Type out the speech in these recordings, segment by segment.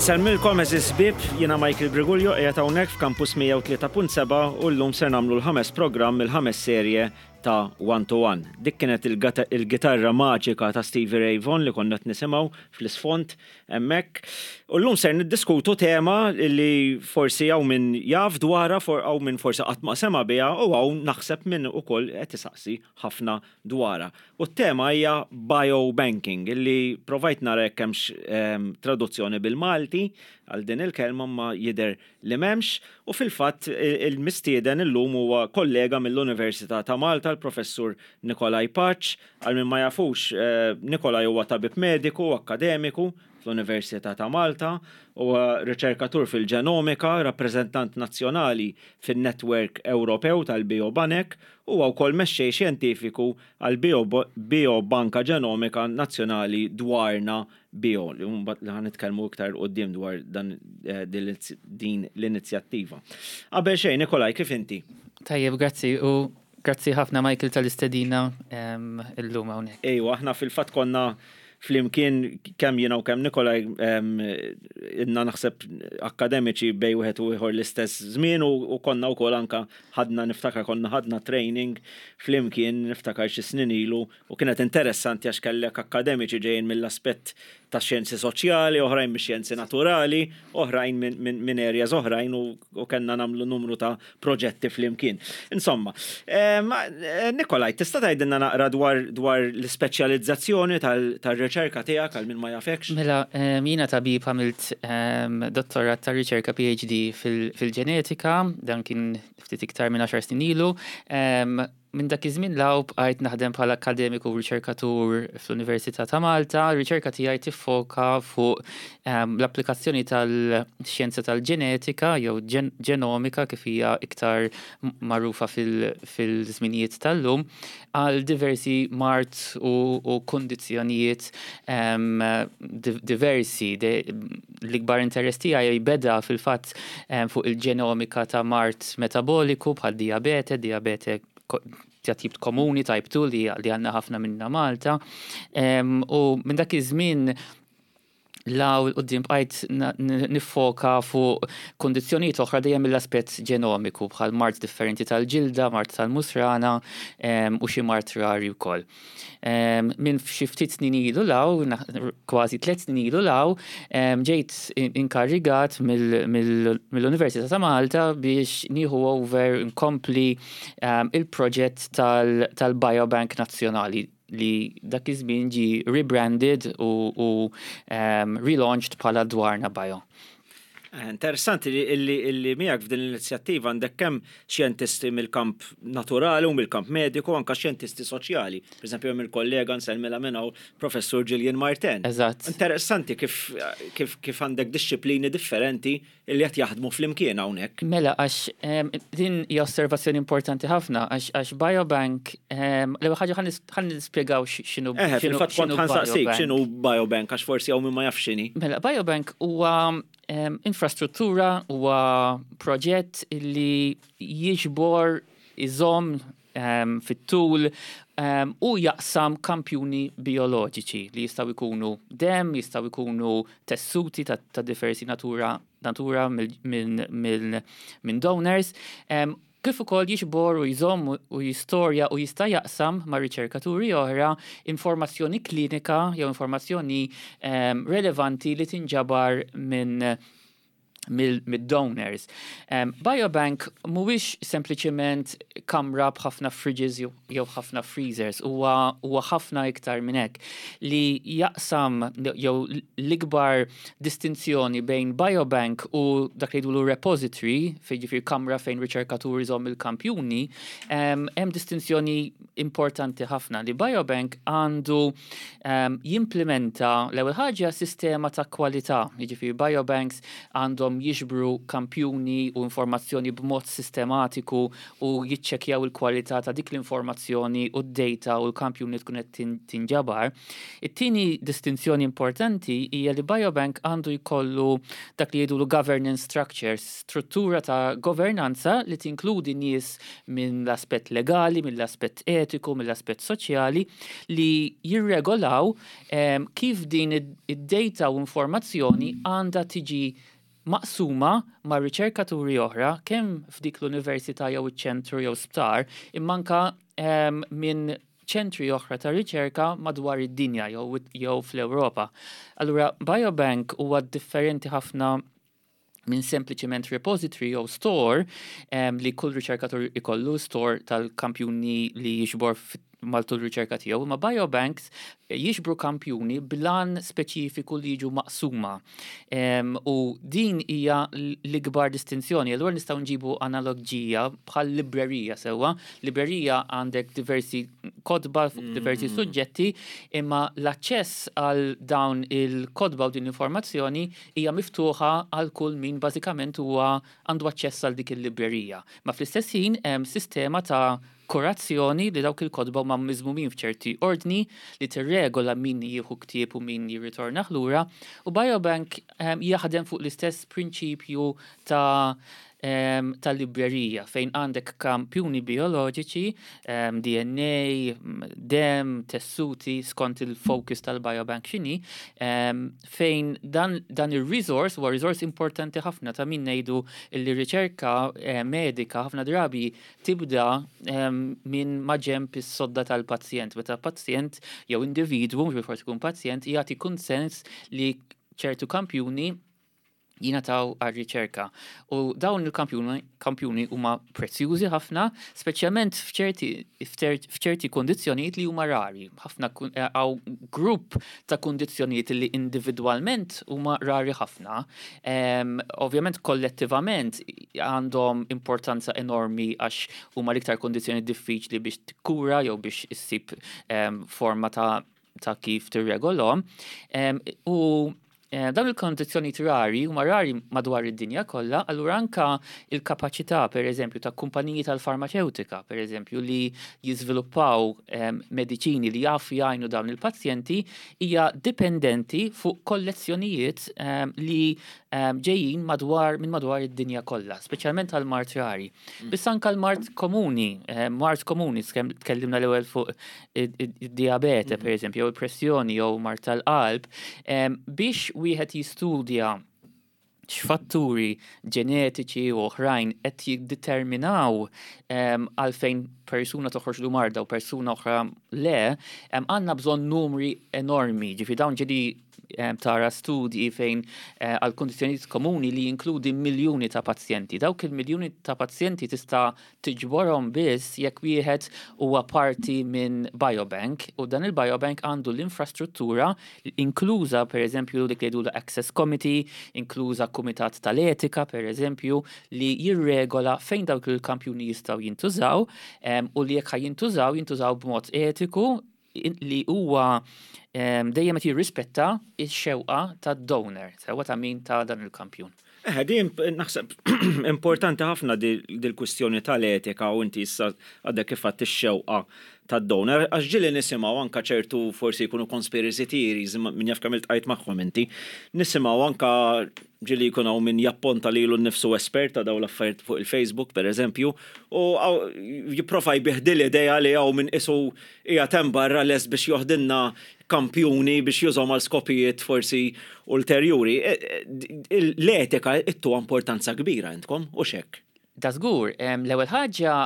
Insellmilkom eżis bib, jiena Michael Brigulio qiegħed hawnhekk f'Campus 103.7 u llum ser nagħmlu l-ħames programm il-ħames serje ta' One to One. Dik kienet il-gitarra maġika ta' Stevie Ray Vaughan li konna qed nisimgħu fl-isfond hemmhekk. U llum ser niddiskutu tema li forsi hawn min jaf dwarha, hawn min forsi qatt ma sema' biha u hawn naħseb min ukoll qed isaqsi ħafna dwarha. U t-tema hija biobanking, illi provajt nara jekk hemmx ehm, traduzzjoni bil-Malti għal din il-kelma ma jidher li m'hemmx u fil-fatt il-mistieden illum huwa kollega mill-Università ta' Malta l-Professur Nikolai Paċ. Għal min ma jafux, Nikolai huwa tabib mediku u akkademiku fl-Università ta' Malta, huwa riċerkatur fil-ġenomika, rappreżentant nazzjonali fin-Netwerk Ewropew tal-Biobanek, huwa wkoll mexxej xjentifiku għall-Biobanka Ġenomika Nazzjonali Dwarna Bio, li mbagħad li ħanitkellmu iktar 'il quddiem dwar dan eh, din l-inizjattiva. Qabel xejn, Nikolaj, kif inti? Tajjeb, grazzi u grazzi ħafna Michael tal-istedina illum hawnhekk. Ejwa, aħna fil-fatt konna flimkien kemm jiena u kemm Nikolaj inna naħseb akademiċi bej wieħed u ieħor l-istess żmien u konna wkoll anka ħadna niftakar konna ħadna training flimkien niftakar xi snin ilu U kienet interessanti għax kellek akkademiċi ġejjin mill-aspett tax-xjenzi soċjali, oħrajn mix-xjenzi naturali, oħrajn minn areas oħrajn u kellna nagħmlu numru ta' proġetti flimkien. Insomma, Nikolaj, tista' tgħidilna naqra dwar dwar l-ispeċjalizzazzjoni tar-riċerka tiegħek għal min ma jafekx? Mela, jiena tabib għamilt dottorat ta' riċerka PhD fil-ġenetika, dan kien ftit iktar minn għaxar snin ilu. Minn dak iż-żmien 'l hawn bqajt naħdem bħala akkademiku u riċerkatur fl-Università ta' Malta. Ir-riċerka tiegħi tiffoka fuq l-applikazzjoni tal-xjenza tal-ġenetika jew ġenomika kif hija iktar magħrufa fil-żminijiet tal-lum għal diversi mard u kundizzjonijiet diversi. L-ikbar interess tiegħi beda fil-fatt fuq il-ġenomika ta' mard metaboliku bħal dijabete, dijabete ta' tip komuni, type 2 li għandna ħafna minna Malta. U minn dak iż-żmien law il-qoddim bqajt nifoka fuq kondizzjonijiet oħra dejjem mill-aspett ġenomiku bħal mard differenti tal-ġilda, mard tal-musrana u xi mard rari wkoll. Minn xi ftit snin ilu law, kważi tliet snin ilu law, ġejt inkarrigat mill-Università ta' Malta biex nieħu over nkompli il-proġett tal-Biobank Nazzjonali li dak iż-żmien ġie rebranded u relaunched bħala Dwarna Bio. Interessanti li illi miegħek f'din l-inizjattiva għandek kemm xjentisti mill-kamp naturali u mill-kamp mediku anke xjentisti soċjali. Per eżempju hemm il-kollega nsellmilha minn hawn Professur Gillian Martin. Eżatt. Interessanti kif kif kif għandek dixxiplini differenti li qed jaħdmu flimkien hawnhekk. Mela għax din hija osservazzjoni importanti ħafna għax għax biobank l-ewwel ħaġa ħa nispjegaw x'inhu. Eħe, fil-fatt kont ħa nsaqsik x'inhu biobank għax forsi hawn min ma jafx x'inhi. Mela biobank huwa infrastruttura, huwa proġett li jiġbor, iżomm fit-tul u jaqsam kampjuni bijoloġiċi li jistgħu jkunu demm, jistgħu jkunu tessuti ta' diversi natura natura minn donors kif ukoll jiġbor u jżomm u jistorja u jista' jaqsam ma' riċerkaturi oħra informazzjoni klinika jew informazzjoni relevanti li tinġabar minn mid-donors. Biobank mhuwiex sempliċement kamra b'ħafna fridges jew ħafna freezers, huwa ħafna iktar minn hekk li jaqsam jew l-ikbar distinzjoni bejn biobank u dak li jgħidulu repository, fejn ġifieri kamra fejn riċerkatur iżomm il-kampjuni, hemm distinzjoni importanti ħafna li biobank għandu jimplementa l-ewwel ħaġa sistema ta' kwalità, jiġifieri biobanks għandhom għandhom jiġbru kampjuni u informazzjoni b'mod sistematiku u jiċċekkjaw il-kwalità ta' dik l-informazzjoni u d-data u l-kampjuni tkun qed tinġabar. It-tieni distinzjoni importanti hija li biobank għandu jkollu dak li jgħidulu governance structures, struttura ta' governanza li tinkludi nies minn l-aspett legali, mill-aspett etiku, mill-aspett soċjali li jirregolaw kif din id-data u informazzjoni għandha tiġi maqsuma ma' riċerkaturi oħra kemm f'dik l-università jew iċ-ċentru jew sptar imma anka minn ċentri oħra ta' riċerka madwar id-dinja jew fl-Ewropa. Allura biobank huwa differenti ħafna minn sempliċement repository jew store li kull riċerkatur ikollu store tal-kampjuni li jiġbor matul riċerka tiegħu, imma biobanks jiġbru kampjuni b'għan speċifiku li jiġu maqsuma. U din hija l-ikbar distinzjoni. Allura nistgħu nġibu analogija bħal librerija sewwa. Librerija għandek diversi kotba fuq diversi suġġetti, imma l-aċċess għal dawn il-kotba u din l-informazzjoni hija miftuħa għal kull min bażikament huwa għandu aċċess għal dik il-librerija. Ma fl-istess ħin hemm sistema ta' kurazzjoni li dawk il-kotba huma miżmumin f'ċerti ordni li tirregola min jieħu ktieb u min jirritornah lura u Biobank jaħdem fuq l-istess prinċipju ta' ta' librerija fejn għandek kampjuni bioloġiċi, DNA, dem, tessuti skont il-focus tal-biobank x'inhi, fejn dan, dan ir-resource huwa resource importanti ħafna ta' min ngħidu li riċerka medika ħafna drabi tibda minn maġenb is-sodda tal-pazjent. Meta pazjent jew individwu, mhux bilfors ikun pazjent, jagħti kunsens li ċertu kampjuni jingħataw għar-riċerka. U dawn il-kampjuni huma prezzjużi ħafna, speċjalment f'ċerti kundizzjonijiet li huma rari. Ħafna hawn grupp ta' kundizzjonijiet li individwalment huma rari ħafna. Ovvjament kollettivament għandhom importanza enormi għax huma l-iktar kundizzjoni diffiċli biex tikkura jew biex issib forma ta' kif tirregolhom. U dawn il-kondizzjonijiet rari huma rari madwar id-dinja kollha, allura anka il-kapaċità pereżempju ta' kumpaniji tal-farmaċewtika, pereżempju li jiżviluppaw mediċini li jafu jgħinu dawn il-pazjenti hija dipendenti fuq kollezzjonijiet li ġejjin madwar minn madwar id-dinja kollha, speċjalment għal mard rari. Biss anka l-mard komuni, mard komuni tkellimna l-ewwel fuq id-diabete, per eżempju, jew il-pressjoni jew mard tal-qalb, biex wieħed jistudja x'fatturi ġenetiċi u oħrajn qed jiddeterminaw għalfejn persuna toħroġlu marda u persuna oħra le, għandna bżonn numri enormi, ġifi dawn ġieli tara studji fejn għal kundizzjonijiet komuni li jinkludi miljuni ta' pazjenti. Dawk il-miljuni ta' pazjenti tista' tiġborhom biss jekk wieħed huwa parti minn biobank u dan il-biobank għandu l-infrastruttura inkluża pereżempju dik li jgħidulha Access Committee, inkluża kumitat tal-etika pereżempju li jirregola fejn dawk il-kampjuni jistgħu jintużaw u li jekk ħa jintużaw, jintużaw b'mod etiku li huwa dejjem qed jirrispetta x-xewqa tad-donor, sewwa ta' min ta dan il-kampjun. Eħe, din naħseb importanti ħafna dil-kwistjoni tal-etika u inti issa għadek kif għedt ix-xewqa tad-donor, għax ġieli nisimgħu anke ċertu forsi jkunu conspiracy theories, min jaf kemm iltqajt magħhom inti, nisimgħu anke ġieli jkun hawn min japponta lilu nnifsu espert ta' dawn l-affarijiet fuq il-Facebook pereżempju, u jipprova jbigħ din l-idea li hawn min qisu qiegħed hemm barra lest biex joħdilna kampjuni biex jużahom għal skopijiet forsi ulterjuri. L-etika ittuha importanza kbira intkom, hux hekk? Da żgur. L-ewwel ħaġa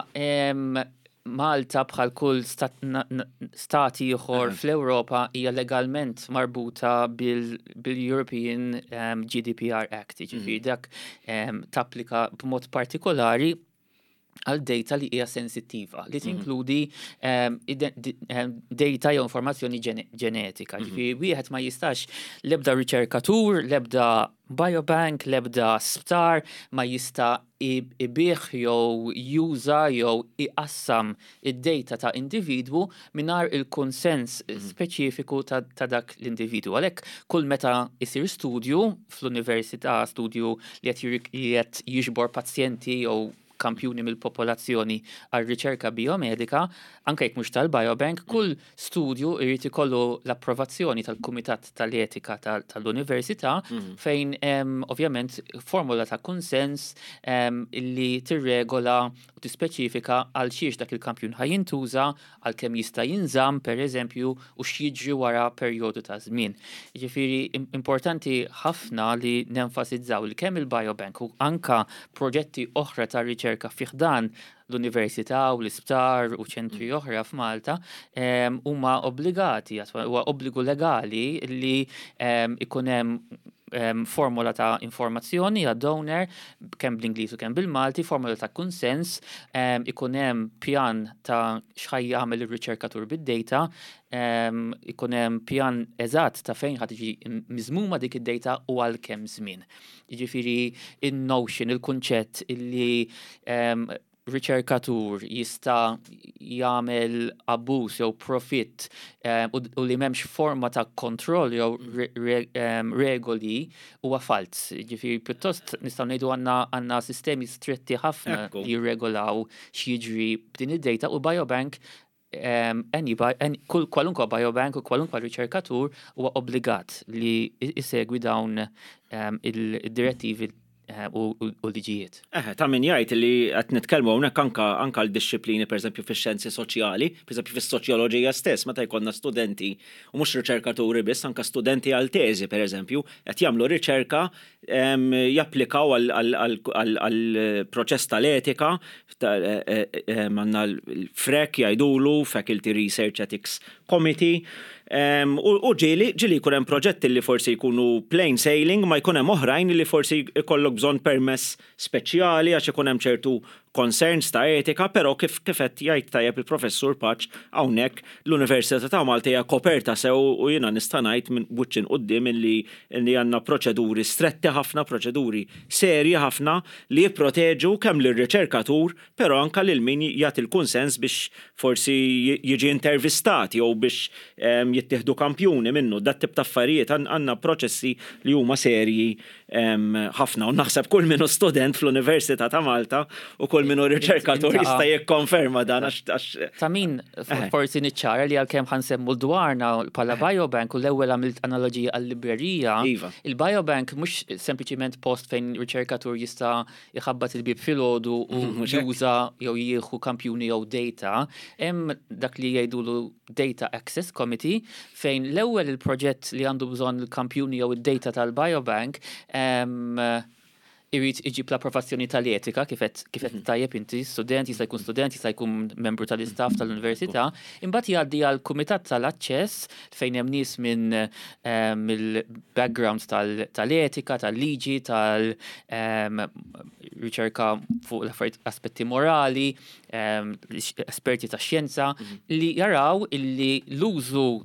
Malta bħal kull stat ieħor fl-Ewropa hija legalment marbuta bil-European GDPR Act, jiġifieri dak tapplika b'mod partikolari. għal data li hija sensittiva, li tinkludi data jew informazzjoni ġenetika. Ġifieri wieħed ma jistax, l-ebda riċerkatur, l-ebda biobank, l-ebda sptar ma jista' ibigħ jew juża jew iqassam id-data ta' individwu mingħajr il-kunsens speċifiku ta' dak l-individwu. Għalhekk kull meta jsir studju fl-università, studju li qed jiġbor pazjenti jew kampjuni mill-popolazzjoni għal riċerka biomedika, anke jekk mhux tal-biobank, kull studju jrid ikollu l-approvazzjoni tal-Kumitat tal-Etika tal-Università fejn hemm ovvjament formula ta' kunsens li tirregola u tispeċifika għal xiex dak il-kampjun ħa jintuża, għal kemm jista' jinżamm, pereżempju, u x'jiġri wara perjodu ta' żmien. Jiġifieri importanti ħafna li nenfasizzaw li kemm il-biobank u anka proġetti oħra ta' riċerka fi ħdan l-università u l-isptar u ċentri oħra f'Malta huma obbligati, huwa obbligu legali li ikun hemm formola ta' informazzjoni għad-donor, kemm bl-Ingliż u kemm bil-Malti, formola ta' kunsens, ikun hemm pjan ta' x'ħa jagħmel ir-riċerkatur bid-data, ikun hemm pjan eżatt ta' fejn ħa tiġi miżmuma dik id-data u għal kemm żmien. Jiġifieri in-notion, il-kunċett illi riċerkatur jista' jagħmel abbuż jew profitt u li m'hemmx forma ta' kontroll jew regoli huwa falz. Ġifieri pjuttost nistgħu ngħidu għandna sistemi stretti ħafna li jirregolaw x'jiġri b'din id-data u biobank, kull kwalunkwa biobank u kwalunkwa riċerkatur huwa obbligat li jsegwi dawn id-direttivi u liġijiet. Eħe, ta' min jgħid li qed nitkellmu hawnhekk anka l-dixxiplini, pereżempju fix-xjenzi soċjali, pereżempju fis-soċjoloġija stess, meta jkollna studenti, u mhux riċerkaturi biss, anka studenti għal teżi, pereżempju, qed jagħmlu riċerka, japplikaw għal proċess tal-etika, għandna l-FREC jgħidulu, Faculty Research Ethics Committee, u ġieli jkun hemm proġetti li forsi jkunu plain sailing, ma jkun hemm oħrajn li forsi jkollok bżonn permess speċjali għax ikun hemm ċertu concerns ta' etika, però kif qed jgħid tajjeb il-Professur Pace hawnhekk, l-Università ta' Malta hija koperta sew u jiena nista' ngħid minn wiċċ quddiem illi għandna proċeduri stretti ħafna, proċeduri serji ħafna li jipproteġu kemm lir-riċerkatur, però anka lil min jagħti l-kunsens biex forsi jiġi intervistat jew biex jittieħdu kampjuni minnu. Dat tip ta' affarijiet għandna proċessi li huma serji ħafna u naħseb kull min hu student fl-Università ta' Malta u kull min hu riċerkatur jista' jikkonferma dan għax Ta' min forsi niċċara li għalkemm ħa nsemmu dwarna bħala biobank u l-ewwel għamilt analogija għal-librerija, il-biobank mhux sempliċiment post fejn riċerkatur jista' jħabbat il-bib filgħodu u juża jew jieħu kampjuni jew data, hemm dak li jgħidulu Data Access Committee, fejn l-ewwel il-proġett li għandu bżonn il-kampjuni jew id-data tal-biobank irid iġib l-approvazzjoni tal-etika, kif qed tajjeb inti, student, jista' jkun student, jista' jkun membru tal-istaff tal-università, imbagħad jgħaddi għal kumitat tal-aċċess fejn hemm nies minn mill-backgrounds tal-etika, tal-liġi, tal-riċerka fuq l-affarijiet, aspetti morali, esperti ta' xjenza li jaraw illi l-użu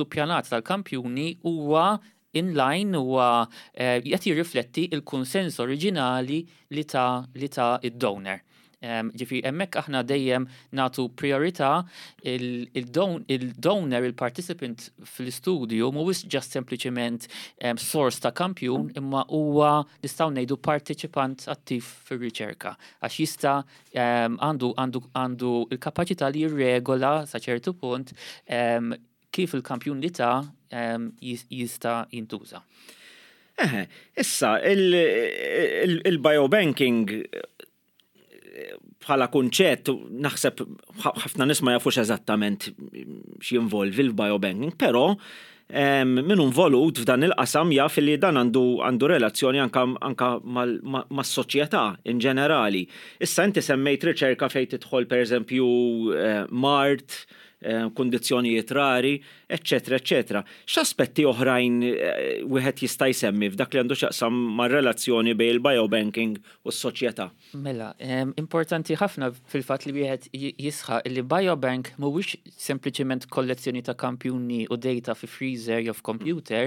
pjanat tal-kampjuni huwa in line, huwa qed jirrifletti il-kunsens oriġinali li ta id-donor. Ġifieri hemmhekk aħna dejjem nagħtu priorità il-donor, il-participant fl-istudju mhuwiex just sempliċement source ta' kampjun, imma huwa, nistgħu ngħidu, parteċipant attiv fir-riċerka għax jista' għandu il-kapaċità li jirregola sa ċertu punt kif il-kampjun li ta' jista' jintuża. Eħe, issa, il-biobanking bħala kunċett, naħseb ħafna nies ma jafux eżattament x'jinvolvi l-biobanking, però min involut f'dan il-qasam jaf li dan għandu relazzjoni anka mas-soċjetà in ġenerali. Issa inti semmejt riċerka fejn tidħol, pereżempju, mard, kundizzjonijiet rari, eċċetera eċċetera. X'aspetti oħrajn wieħed jista' jsemmi f'dak li għandu x'jaqsam mar-relazzjoni bejn il-biobanking u s-soċjetà? Mela, importanti ħafna fil-fatt li wieħed jisħaq li biobank mhuwiex sempliċement kollezzjoni ta' kampjuni u data fi freezer jew f'computer,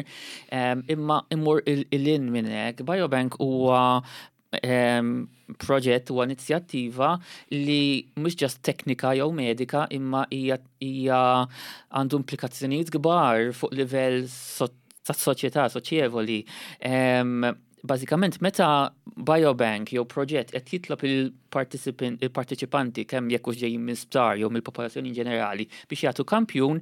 imma imur 'il hinn minn hekk. Biobank huwa proġett huwa inizjattiva li mhux just teknika jew medika imma hija għandu implikazzjonijiet kbar fuq livell tas-soċjetà soċjevoli. Bażikament meta biobank jew proġett qed jitlob il-parteċipanti kemm jekk hux ġejjin minn sptar jew mill-popolazzjoni ġenerali biex jagħtu kampjun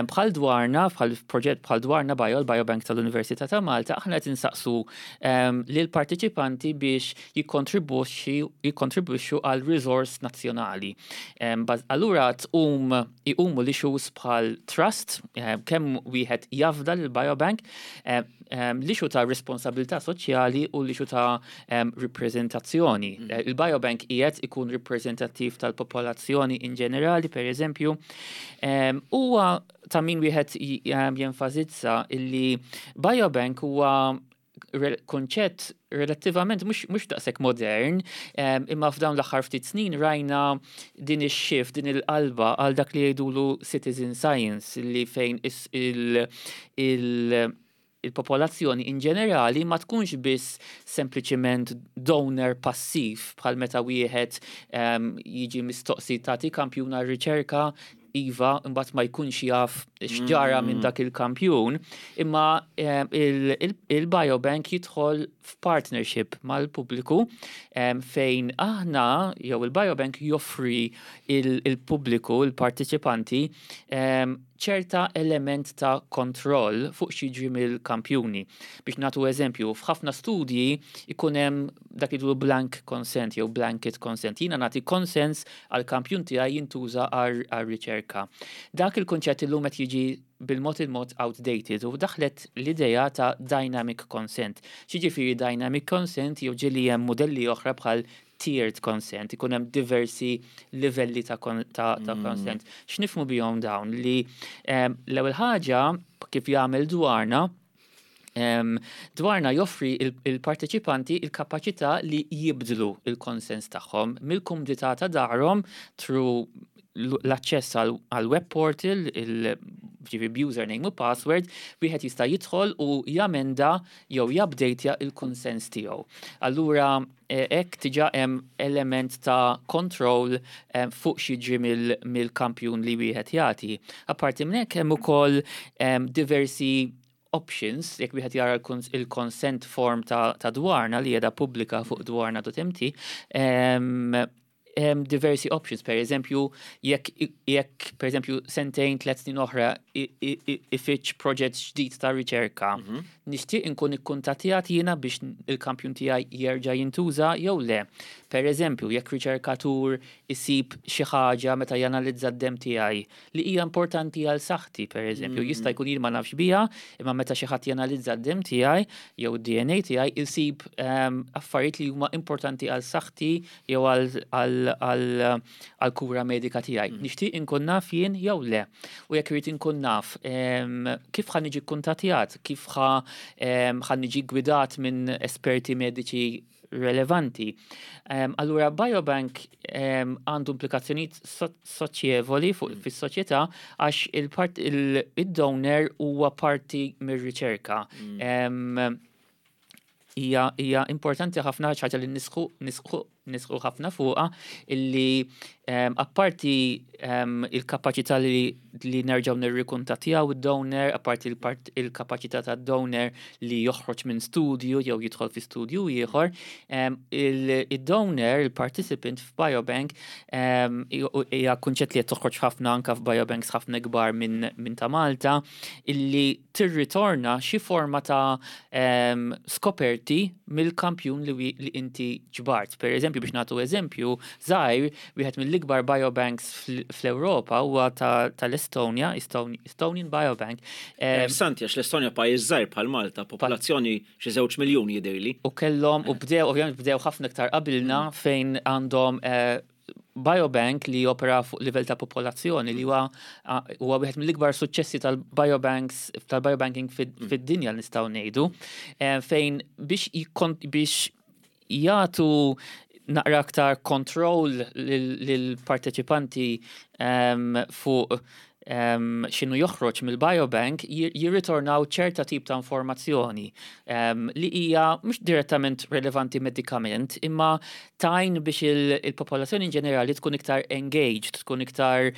bħal dwarna, bħal proġett bħal dwarna bio, l-Biobank tal-Università ta' Malta, aħna qed insaqsu lill-parteċipanti biex jikkontribwixxu għal riżors nazzjonali. Allura tqum iqumu l-issues bħal trust, kemm wieħed jafda lill-biobank, l-issue ta' responsabilità soċjali u l-issue ta' riprezentazzjoni. Il-biobank qiegħed ikun riprezentattiv tal-popolazzjoni in ġenerali, per eżempju. Huwa ta' min wieħed jenfasizza illi biobank huwa konċett relattivament mhux daqshekk modern, imma f'dawn l-aħħar ftit snin rajna din ix-shift, din il-qalba għal dak li jgħidulu citizen science, li fejn il-popolazzjoni in ġenerali ma tkunx biss sempliċiment donor passiv bħal meta wieħed jiġi mistoqsi tagħti kampjun għar-riċerka, iva, imbagħad ma jkunx jaf x'ġara minn dak il-kampjun, imma il-biobank jidħol f'partnership mal-pubbliku fejn aħna jew il-biobank joffri il-pubbliku, il-partiċipanti, ċerta element ta' kontroll fuq x'jiġri mill-kampjuni. Biex nagħtu eżempju, f'ħafna studji ikun hemm dak li jgħidu blank consent jew blanket consent. Jiena nagħti konsens għal kampjun tiegħi jintuża għar-riċerka. Dak il-kunċett illum qed jiġi bil-mod il-mod outdated u daħlet l-idea ta' dynamic consent. X'jiġifieri dynamic consent jew ġieli hemm modelli oħra bħal tiered consent, ikun hemm diversi livelli ta' consent. X'nifhmu bihom dawn? Li l-ewwel ħaġa kif jagħmel dwarna, dwarna joffri il-parteċipanti il-kapaċità li jibdlu il-konsens tagħhom mill-kumdità ta' darhom through l-aċċess għal web portal, ġifieri username u password, wieħed jista' jidħol u jamenda jew jupdateja il-konsens tiegħu. Allura hekk diġà hemm element ta' control fuq x'jiġri mill-kampjun li wieħed jagħti. Apparti minn hekk hemm ukoll diversi options, jekk wieħed jara il-consent form ta' dwarna li qiegħda pubblika fuq dwarna.mt, hemm diversi options, per eżempju, jekk per eżempju sentejn, 3 snin oħra ifiċ proġett ġdid ta' riċerka, nixtieq inkun ikkuntattjat jiena biex il-kampjun tiegħi jerġa' jintuża jew le. Per eżempju, jekk riċerkatur isib xi ħaġa meta janalizza d-dem tiegħi li hija importanti għal saħħti, per eżempju, jista' jkun jien ma nafx biha, imma meta xi ħadd janalizza d-dem tiegħi jew id-DNA tiegħi isib affarijiet li huma importanti għal saħħti jew għal kura medika tiegħi. Nixtieq inkun naf jien jew le. U jekk irid inkun naf kif ħa niġi kkuntattjat, kif ħa niġi gwidat minn esperti mediċi relevanti. Allura biobank għandu implikazzjonijiet soċjevoli fuq fis-soċjetà għax il-donor huwa parti mir-riċerka. Hija importanti ħafna ħaġa li nisħu ħafna fuqha illi apparti il-kapaċità li nerġgħu nirrikuntattjaw id-donor, apparti il-kapaċità tad-donor li joħroġ minn studju jew jidħol fi studju ieħor, il-donor, il-participant f'biobank, hija kunċett li qed toħroġ ħafna anke f'biobanks ħafna kbar minn ta' Malta, illi tirritorna xi forma ta' skoperti mill-kampjun li inti ġbart. Per eżempju, biex nagħtu eżempju, żgħir, wieħed mill-ikbar biobanks fl-Ewropa huwa tal-Estonja, Estonian Biobank. Interessanti, għax l-Estonja pajjiż żgħir bħal Malta, popolazzjoni xi 2 miljun jidhirli. U kellhom, u bdew, ovvjament bdew ħafna iktar qabilna fejn għandhom. biobank li jopera fuq livell ta' popolazzjoni li huwa huwa wieħed mill-ikbar suċċessi tal-biobanks tal-biobanking fid-dinja nistgħu ngħidu fejn biex biex jagħtu naqra aktar kontroll lill-parteċipanti fuq x'inhu joħroġ mill-biobank jirritornaw ċerta tip ta' informazzjoni li hija mhux direttament relevanti medikament imma tgħin biex il-popolazzjoni in ġenerali tkun iktar engaged, tkun iktar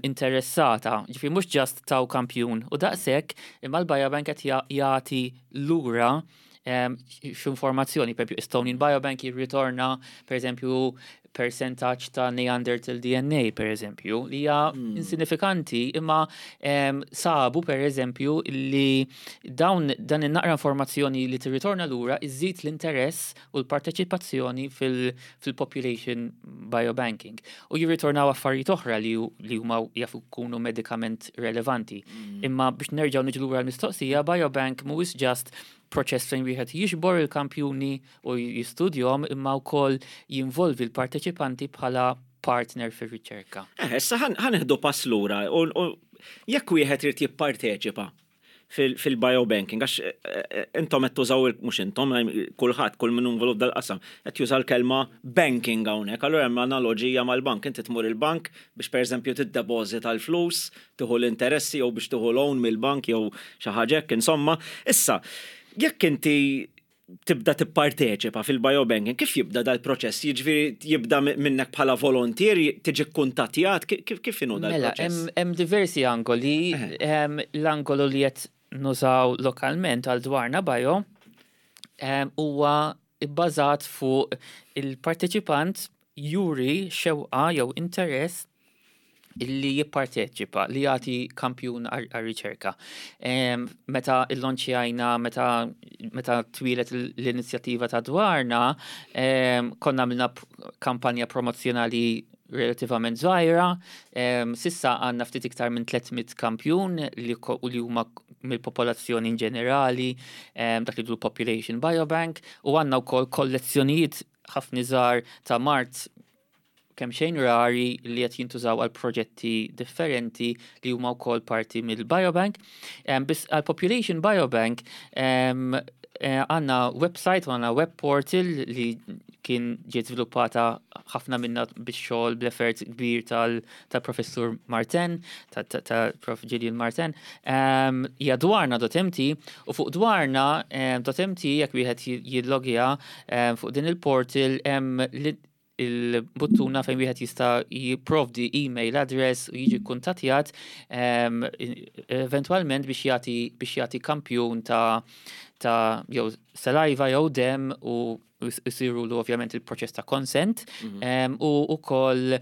interessata. Ġifieri mhux just taw kampjun u daqshekk imma l-biobank qed jagħti lura x'informazzjoni, per Estonian Biobank jirritorna, per eżempju, percentaġġ ta' Neanderthal DNA, per eżempju, li hija insinifikanti, imma sabu, per eżempju, li dawn dan in-naqra informazzjoni li tirritorna lura iżid l-interess u l-parteċipazzjoni fil-population biobanking. U jirritornaw affarijiet oħra li huma jafu jkunu medikament relevanti. Imma biex nerġgħu niġu lura l-mistoqsija, biobank mhuwiex just proċess fejn wieħed jiġbor il-kampjuni u jistudjahom imma wkoll jinvolvi l-parteċipanti bħala partner fir-riċerka. Eh, issa ħa nieħdu pass lura u jekk wieħed irid jipparteċipa fil-biobanking, għax intom qed tużaw, mhux intom, kulħadd, kull min involut dal-qasam, qed juża l-kelma banking hawnhekk, allura hemm analoġija mal-bank, inti tmur il-bank biex pereżempju tiddepożita l-flus, tieħu l-interessi jew biex tieħu loan mill-bank jew xi ħaġa hekk, insomma. Issa, jekk inti tibda tipparteċipa fil-biobanking, kif jibda dal-proċess? Jiġifieri jibda minnek bħala volontier, tiġi kuntattjat, kif inhu dal-proċess? Mela, hemm diversi angoli. L-angolu li qed nużaw lokalment għal Dwarna Bio huwa bbażat fuq il-parteċipant juri xewqa jew interess illi jipparteċipa, li jagħti kampjun għar-riċerka. Meta illonċjajna, meta twieldet l-inizjattiva ta' Dwarna, konna għamilna kampanja promozzjonali relativament żgħira. S'issa għandna ftit iktar minn 300 kampjun li huma mill-popolazzjoni in ġenerali, dak li population biobank, u għandna wkoll kollezzjonijiet ħafna żgħar ta' mard kemm xejn rari li qed jintużaw għal proġetti differenti li huma wkoll parti mill-biobank. Biss għal population biobank għandna website u għandna web portal li kien ġiet żviluppata ħafna minna bix-xogħol bl-effort kbir tal-professur Martin, tal-Prof Gillian Martin. Hija dwarna.mt u fuq dwarna.mt jekk wieħed jillogja fuq din il-portal hemm il-buttuna fejn wieħed jista' jipprovdi email address u jiġi kuntattjat eventwalment biex jagħti kampjun ta' jew saliva jew dem u jsiru lu ovvjament il-proċess ta' consent u wkoll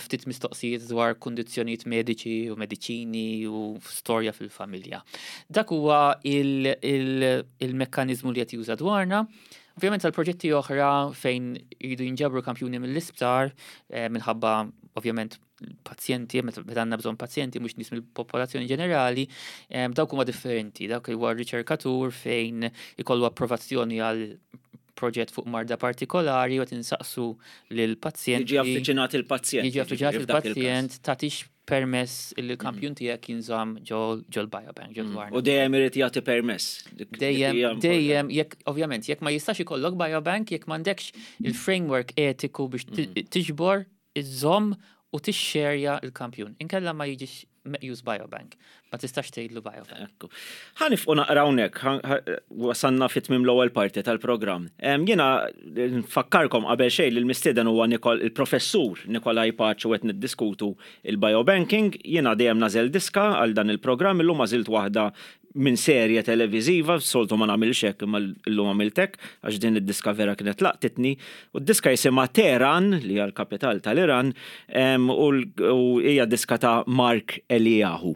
ftit mistoqsijiet dwar kundizzjonijiet mediċi u mediċini u storja fil-familja. Dak huwa il-mekkanizmu li qed juża Dwarna. Ovvjament għal proġetti oħra fejn jridu jinġabru kampjuni mill-isptar, minħabba ovvjament pazjenti, meta għandna bżonn pazjenti mhux nies mill-popolazzjoni ġenerali, dawk huma differenti, dawk huwa riċerkatur fejn ikollu approvazzjoni għal proġett fuq marda partikolari u tinsaqsu lill-pazjent. Jiġi avviċinat il-pazjent. Jiġi avviċinat il-pazjent, tagħtix permess il kampjun tiegħek jinżamm ġol biobank, ġol Dwarna. U dejjem irid jagħti permess. Dejjem, dejjem, jekk ovvjament, jekk ma jistax ikollok biobank, jekk m'għandekx il-framework etiku biex tiġbor, iżżomm u tixxerja il-kampjun. Inkella ma jiġix meqjus biobank. Ma tistax tgħidlu biobank. Ekku. Ħa nieqfu naqra hawnhekk, wasanna fit tmiem l-ewwel parti tal-programm. Jiena nfakkarkom qabel xejn li l-mistieden huwa il-professur Nikolai Pace u qed niddiskutu il-biobanking. Jiena dejjem nagħżel diska għal dan il-programm, illum għażilt waħda minn serje televiżiva, soltu ma nagħmilx hekk imma llum għamilt hekk għax din id-diska vera kienet laqtitni. U d-diska jisimha Teheran, li hija l-kapital tal-Iran, u hija diska ta' Mark Eliyahu.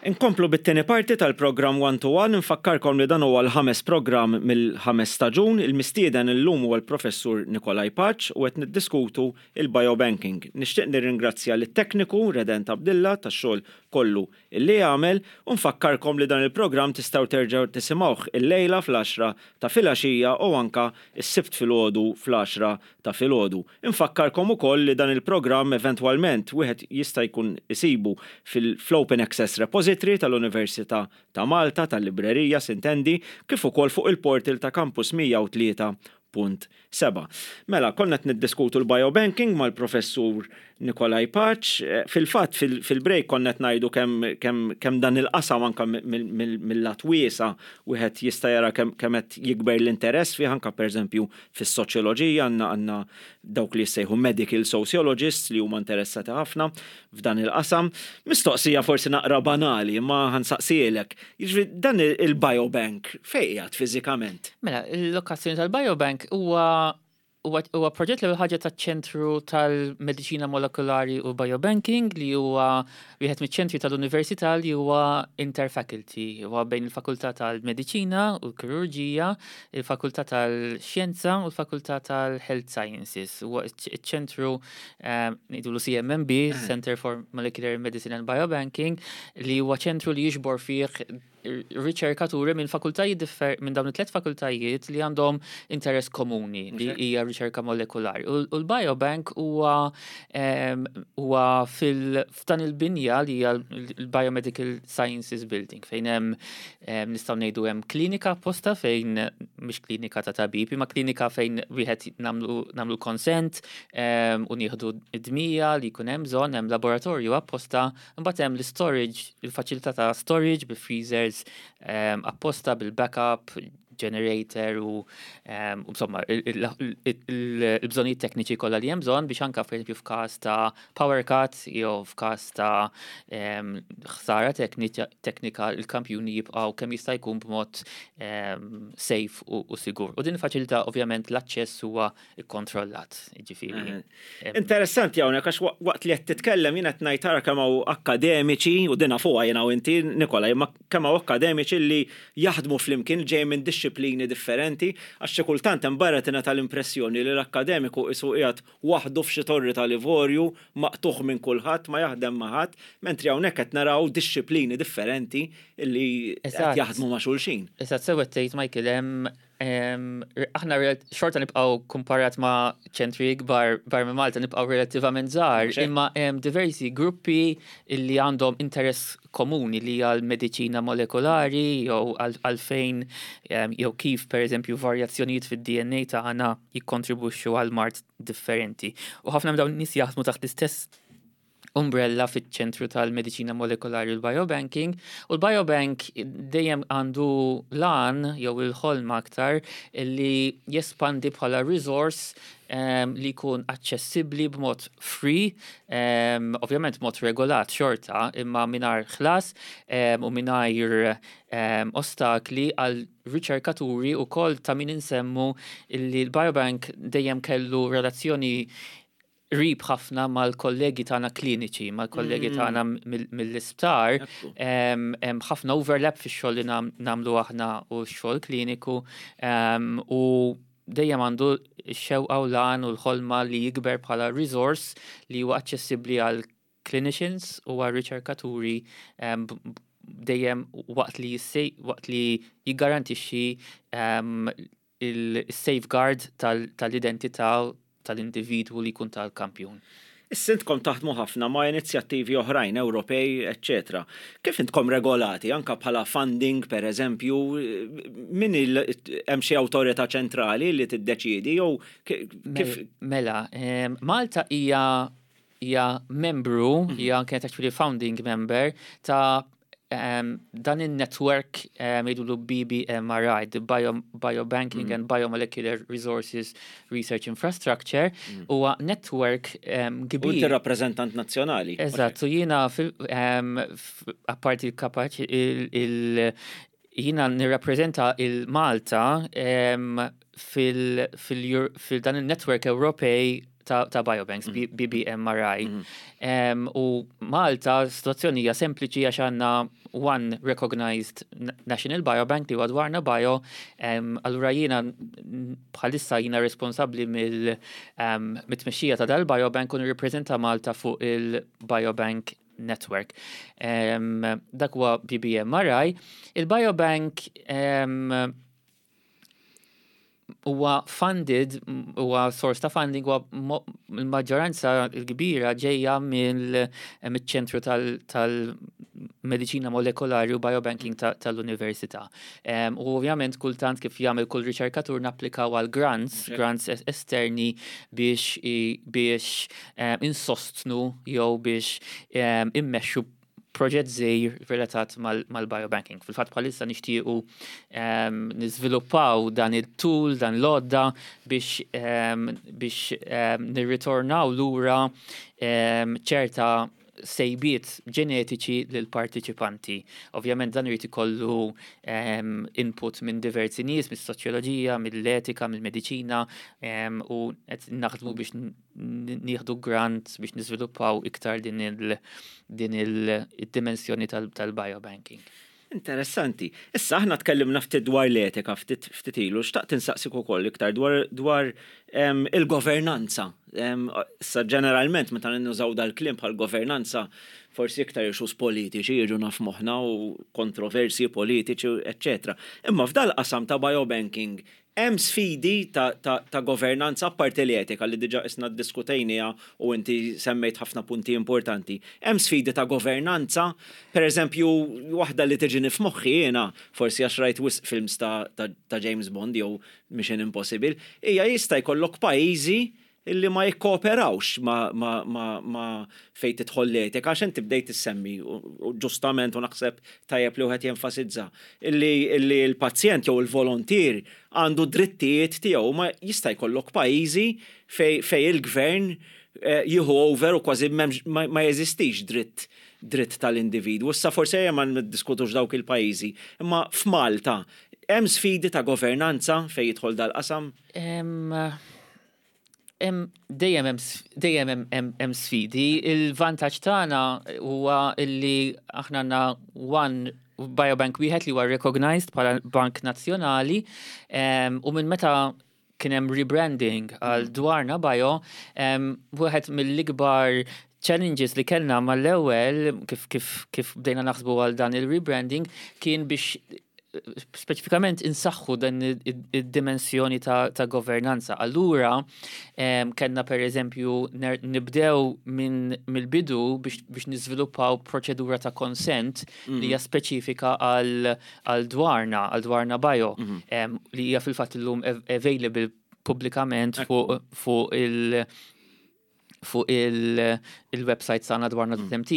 Inkomplu bit-tieni parti tal-programm One to One, infakkarkom li dan huwa l-ħames programm mill-ħames staġun. Il-mistieden illum huwa l-Professur Nikolai Pace u qed niddiskutu il-biobanking. Nixtieq nirringrazzja lit-tekniku Redent Abdilla tax-xogħol kollu illi għamel u nfakkarkom li dan il-programm tistgħu terġgħu tisimgħuh illejla fl-għaxra ta' filgħaxija u anka s-Sibt filgħodu fl-għaxra ta' filgħodu. Infakkarkom ukoll li dan il-programm eventwalment wieħed jista' jkun isibu fl-Open Access Repository tal-Università ta' Malta, tal-librerija sintendi, kif ukoll fuq il-portal ta' Campus 103.7. Mela, konna qed niddiskutu l-biobanking mal-Professur Nikolai Pace. Fil-fatt, fil-break konna qed ngħidu kemm kemm dan il-qasam anke mill-lat wiesa' wieħed jista' jara kemm qed jikber l-interess fih anke pereżempju fis-soċjoloġija għandna għandna dawk li jissejħu medical sociologists li huma interessati ħafna f'dan il-qasam. Mistoqsija forsi naqra banali, imma ħa nsaqsihielek. Jiġifieri dan il-biobank fejn qiegħed fiżikament? Mela, il-lokazzjoni tal-biobank huwa huwa proġett l-ewwel ħaġa taċ-Ċentru tal-Mediċina Molekulari u Biobanking li huwa wieħed miċ-ċentri tal-Università li huwa interfaculty, huwa bejn il-Fakultà tal-Mediċina u l-Kirurġija, il-Fakultà tal-Xjenza u l-Fakultà tal-Health Sciences. Huwa iċ-ċentru ngħidulu CMMB, Center for Molecular Medicine and Biobanking, li huwa ċentru li jiġbor fih riċerkaturi minn fakultajiet differ minn dawn it-tliet fakultajiet li għandhom interess komuni li hija riċerka molekulari. U l-biobank huwa huwa fil f'dan il-binja li hija l-Biomedical Sciences Building fejn hemm nistgħu ngħidu hemm klinika apposta fejn mhix klinika ta' tabib, imma klinika fejn wieħed nagħmlu consent u nieħdu d-dmija li jkun hemm bżonn, hemm laboratorju apposta. Imbagħad hemm l-storage, il-faċilità ta' storage bi freezers apposta bil-backup, generator u insomma il-bżonnijiet tekniċi kollha li hemm bżonn biex anke pereżempju f'każ ta' power cut jew f'każ ta' ħsara teknika il-kampjuni jibqgħu kemm jista' jkun b'mod safe u sigur. U din il-faċilità ovvjament l-aċċess huwa ikkontrollat, ġifieri. Interessanti hawnhekk għax waqt li qed titkellem jien qed ngħid tara kemm hawn akkademiċi u din nafuha jiena u inti Nikola, imma kemm hawn akkademiċi li jaħdmu flimkien ġejjin minn dixxiplini differenti għax xi kultant hemm barra tingħata l-impressjoni li l-akkademiku qisu qiegħed waħdu f'xi torri tal-ivorju, maqtugħ minn kulħadd, ma jaħdem ma' ħadd, mentri hawnhekk qed naraw dixxiplini differenti li qed jaħdmu ma' xulxin. Eżatt, sew qed tgħid Michael, hemm Aħna xorta nibqgħu kumparat ma' ċentri ikbar barra minn Malta nibqgħu relattivament żgħar, imma hemm diversi gruppi li għandhom interess komuni li hija l-mediċina molekulari jew għalfejn jew kif pereżempju varjazzjonijiet fid-DNA tagħna jikkontribwixxu għal mard differenti. U ħafna minn dawn in-nies jaħdmu taħt l-istess umbrella fiċ-ċentru tal-mediċina molekolari u l-biobanking. U l-biobank dejjem għandu l-għan jew il-ħolma aktar li jespandi bħala resource li jkun aċċessibbli b'mod free, ovvjament mod regolat xorta, imma mingħajr ħlas u mingħajr ostakli għal riċerkaturi u kol ta' min insemmu li l-biobank dejjem kellu relazzjoni qrib ħafna mal-kollegi tagħna kliniċi, mal-kollegi tagħna mill-isptar, hemm ħafna overlap fix-xogħol li nagħmlu aħna u x-xogħol kliniku u dejjem għandu x-xewqa u l-għan u l-ħolma li jikber bħala resource li huwa aċċessibbli għal clinicians u għal riċerkaturi dejjem waqt li waqt li jiggarantixxi il-safeguard tal-identità tal-individwu li jkun tal-kampjun. Issa intkom taħdmu ħafna ma' inizjattivi oħrajn Ewropej, eċċetera. Kif intkom regolati anke bħala funding per eżempju, min hemm xi awtorità ċentrali li tiddeċiedi jew kif? Mela, Malta hija hija membru, hija kienet actually founding member ta' dan il-network jgħidulu BBMRI, the Bio, Biobanking and Biomolecular Resources Research Infrastructure, huwa network kbir. U inti rappreżentant nazzjonali. Eżatt, u jiena apparti l-kapaċi il jiena nirrappreżenta il-Malta fil-dan il-network Ewropej. ta' biobanks, BBMRI. U Malta, situazzjoni hija sempliċi għax għandna one recognized national biobank li huwa Dwarna Bio, allura jiena bħalissa jiena responsabbli mill-tmexxija ta' dal-biobank u nirrappreżenta Malta fuq il-Biobank Network. Dak huwa BBMRI. Il-biobank huwa funded, huwa source ta' funding, huwa l-maġġoranza l-kbira ġejja mill-ċentru tal-mediċina molekolari u biobanking tal-università. U ovvjament kultant kif jagħmel kull riċerkatur napplikaw għal grants, grants esterni biex biex insostnu jew biex immexxu proġett żgħir relatat mal-biobanking. Fil-fatt bħalissa nixtiequ niżviluppaw dan il-tool, dan l-għodda biex biex nirritornaw lura ċerta sejbiet ġenetiċi lil partiċipanti. Ovvjament dan irid ikollu input minn diversi nies, mis-soċjoloġija, mill-etika, mill-mediċina u qed naħdmu biex nieħdu grant biex niżviluppaw iktar din il-dimensjoni tal-biobanking. Interessanti. Issa aħna tkellimna ftit dwar l-etika ftit ilu, xtaqt insaqsik ukoll iktar dwar il-governanza. Issa ġeneralment meta nużaw dal-kliem bħal governanza forsi iktar issues politiċi jiġu naf moħħna u kontroversi politiċi, eccetera. Imma f'dal-qasam ta' biobanking hemm sfidi ta' governanza apparti l-etika li diġà isna ddiskutejniha u inti semmejt ħafna punti importanti. Hemm sfidi ta' governanza, per eżempju, waħda li tiġini f'moħħi jiena, forsi għax rajt wisq films ta' James Bond jew Mission Impossible, hija jista' jkollok pajjiżi illi ma jikkooperawx ma fejn tidħol l-etika, għax inti bdejt issemmi, u ġustament u naħseb tajjeb li wieħed jenfasizza, illi l-pazjent jew il-volontier għandu drittijiet tiegħu, ma jista' jkollok pajjiżi fej il-gvern jieħu over u kważi ma jeżistix dritt tal-individwu. Issa forsi ejja ma niddiskutux dawk il-pajjiżi, imma f'Malta hemm sfidi ta' governanza fejn jidħol dal-qasam? Dejjem hemm sfidi. Il-vantaġġ tagħna huwa li aħna għandna one biobank wieħed li huwa recognized bħala bank nazzjonali u minn meta kien hemm rebranding għal Dwarna Bio, wieħed mill-ikbar challenges li kellna mal-ewwel kif bdejna naħsbu għal dan il-rebranding kien biex speċifikament insaħħu dan id-dimensjoni ta' governanza. Allura, kellna per eżempju nibdew minn mill-bidu biex niżviluppaw proċedura ta' consent li hija speċifika għal Dwarna Bio, li hija fil-fatt illum available pubblikament fuq il-website tagħna dwarna.mt.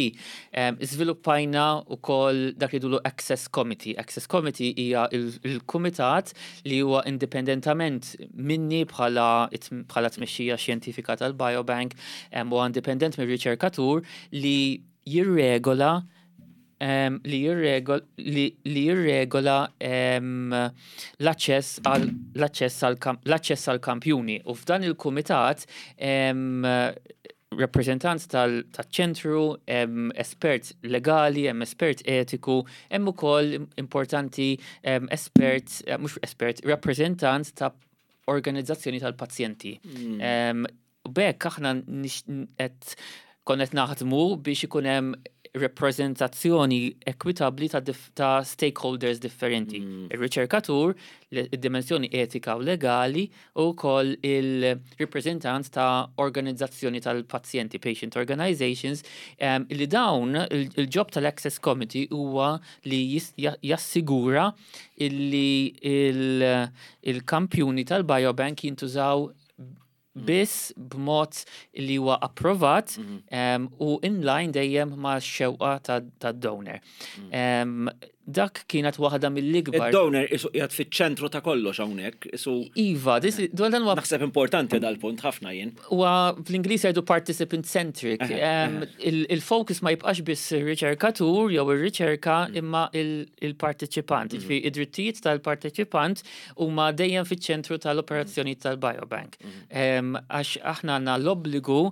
Iżviluppajna wkoll dak li dulu Access Committee. Access Committee hija il-kumitat li huwa indipendentament minni bħala tmexxija xjentifika tal-Biobank, huwa indipendent mir-riċerkatur li jirregola l-aċċess għal kampjuni. U f'dan il-kumitat rappresentant tal-ċentru, hemm espert legali, hemm espert etiku, hemm ukoll importanti espert, mhux espert, rappresentant ta' organizzazzjoni tal-pazjenti. U b'hekk aħna qed konnet naħdmu biex ikun hemm rappreżentazzjoni ekwitabli ta' stakeholders differenti. Il-riċerkatur, id-dimensjoni etika u legali u wkoll il-rappreżentant ta' organizzazzjoni tal-pazjenti, patient organizations, li dawn il-job tal-Access Committee huwa li jassigura illi il-kampjuni tal-biobank jintużaw biss b'mod li huwa approvat u in line dejjem ma' xewqa tad-donor. Dak kienet waħda mill-ikbar. Id-donor isu qiegħed fiċ-ċentru ta' kollox hawnhekk, isu. Iva, dwar dan huwa. Naħseb importanti dal-punt ħafna jien. Huwa bl-Ingliż jgħidu participant centric. Il-focus ma jibqax biss ir-riċerkatur jew ir-riċerka imma il-parteċipant. Jiġifieri id-drittijiet tal-parteċipant huma dejjem fiċ-ċentru tal-operazzjonijiet tal-biobank. Għax aħna għandna l-obbligu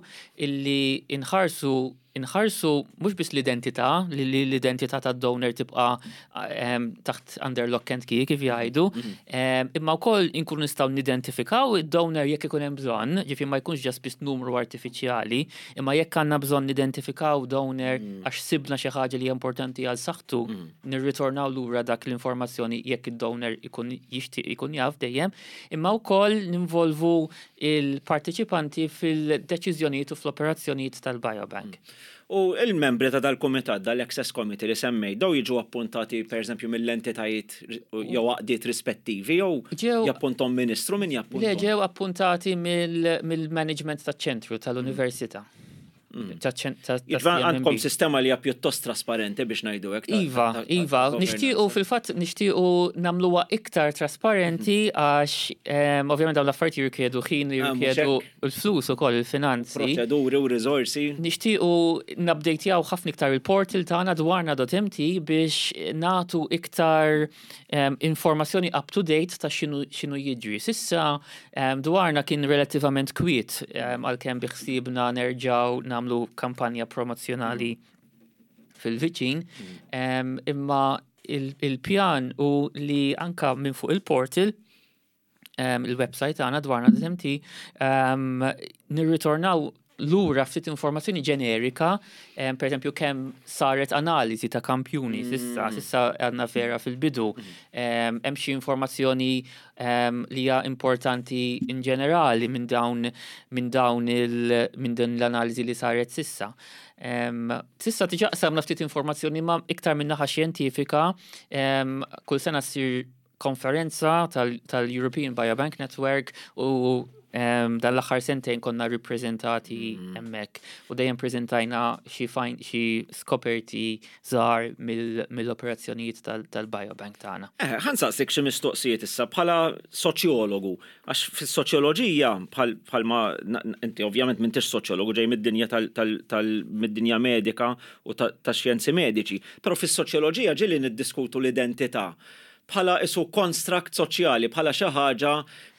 illi nħarsu inħarsu mhux biss l-identità, li l-identità tad-donor tibqa' taħt under lock and key kif jgħidu, imma wkoll inkunu nistgħu nidentifikaw id-donor jekk ikun hemm bżonn, ġifieri ma jkunx ġast biss numru artifiċjali, imma jekk għandna bżonn nidentifikaw donor għax sibna xi ħaġa li hija importanti għal saħħtu, nirritornaw lura dak l-informazzjoni jekk id-donor ikun jixtieq ikun jaf dejjem, imma wkoll ninvolvu il-parteċipanti fil-deċiżjonijiet u fl-operazzjonijiet tal-biobank. U il-membri ta' dal-kumitat, dal-Access Committee li semmejt, daw jiġu appuntati pereżempju mill-entitajiet jew għaqdiet rispettivi jew jappuntom ministru min jappuntom? Le, ġew appuntati mill-management taċ-ċentru tal-università. Għandkom sistema li hija pjuttost trasparenti biex ngħidu hekk. Iva, iva, nixtiequ fil-fatt nixtiequ nagħmluha iktar trasparenti għax ovvjament dawn l-affarijiet jirrikjedu ħin, ah, jirrikjedu l-flus ukoll il-finanzi. Proċeduri u riżorsi. Nixtiequ nabdejtjaw ħafna iktar il-portal tagħna dwarna.mt biex nagħtu iktar informazzjoni up to date ta' x'inhu jiġri. Sissa dwarna kien relattivament kwiet għalkemm bi ħsiebna nerġgħu nagħmlu kampanja promozzjonali fil-viċin, imma il-pjan u li anka minn fuq il-portal il-website tagħna dwarna.mt nirritornaw lura ftit informazzjoni ġenerika, per eżempju kemm saret analiżi ta' kampjuni sissa, sissa għandna vera fil-bidu, hemm xi informazzjoni li hija importanti in ġenerali minn dawn minn dawn il minn din l-analiżi li saret sissa. Sissa diġà qsamna ftit informazzjoni ma iktar minn naħa xjentifika, kull sena ssir konferenza tal-European Biobank Network u dan l-aħħar sentejn konna rippreżentati hemmhekk u dejjem preżentajna xi xi skoperti żgħar mill-operazzjonijiet tal-biobank tagħna. Eh, ħa nsaqsik xi mistoqsijiet issa bħala soċjologu, għax fis-soċjoloġija bħalma inti ovvjament m'intix soċjologu ġej mid-dinja tal-mid-dinja medika u tax-xjenzi mediċi, però fis-soċjoloġija ġieli niddiskutu l-identità bħala isu construct soċjali, bħala xi ħaġa